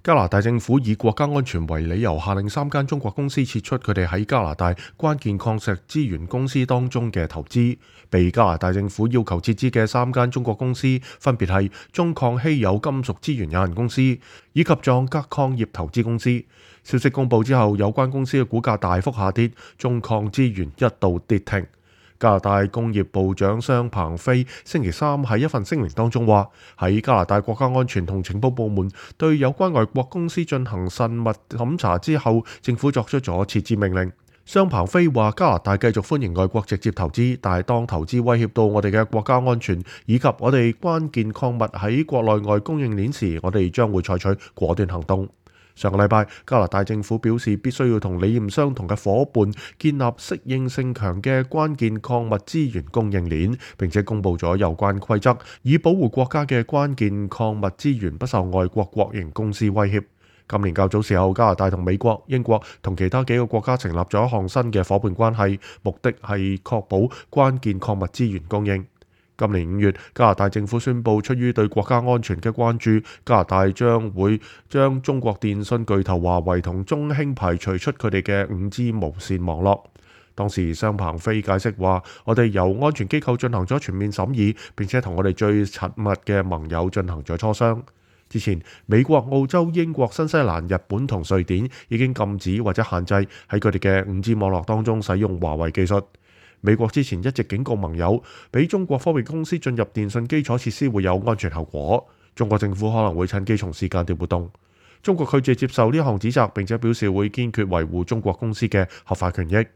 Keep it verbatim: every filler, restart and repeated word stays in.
加拿大政府以國家安全為理由，下令三間中國公司撤出佢哋喺加拿大關鍵礦石資源公司當中嘅投資。被加拿大政府要求撤資嘅三間中國公司分別係中礦稀有金屬資源有限公司以及壯格礦業投資公司。消息公佈之後，有關公司嘅股價大幅下跌，中礦資源一度跌停。加拿大工業部長商鵬飛星期三喺一份聲明當中話，喺加拿大國家安全同情報部門對有關外國公司進行慎密審查之後，政府作出咗撤資命令。商鵬飛話，加拿大繼續歡迎外國直接投資，但係當投資威脅到我哋嘅國家安全以及我哋關鍵礦物喺國內外供應鏈時，我哋將會採取果斷行動。上個禮拜，加拿大政府表示必須要同理念相同嘅伙伴建立適應性強嘅關鍵礦物資源供應鏈，並且公佈咗有關規則，以保護國家嘅關鍵礦物資源不受外國國營公司威脅。今年較早時候，加拿大同美國、英國同其他幾個國家成立咗一項新嘅伙伴關係，目的係確保關鍵礦物資源供應。今年五月，加拿大政府宣布，出於對國家安全嘅關注，加拿大將會將中國電信巨頭華為同中興排除出佢哋嘅五 G 無線網絡。當時商鵬飛解釋話，我哋由安全機構進行咗全面審議，並且同我哋最親密嘅盟友進行咗磋商。之前，美國、澳洲、英國、新西蘭、日本同瑞典已經禁止或者限制喺佢哋嘅五 G 網絡當中使用華為技術。美國之前一直警告盟友，俾中國科技公司進入電信基礎設施會有安全後果。中國政府可能會趁機從事間諜活動。中國拒絕接受呢項指責，並且表示會堅決維護中國公司嘅合法權益。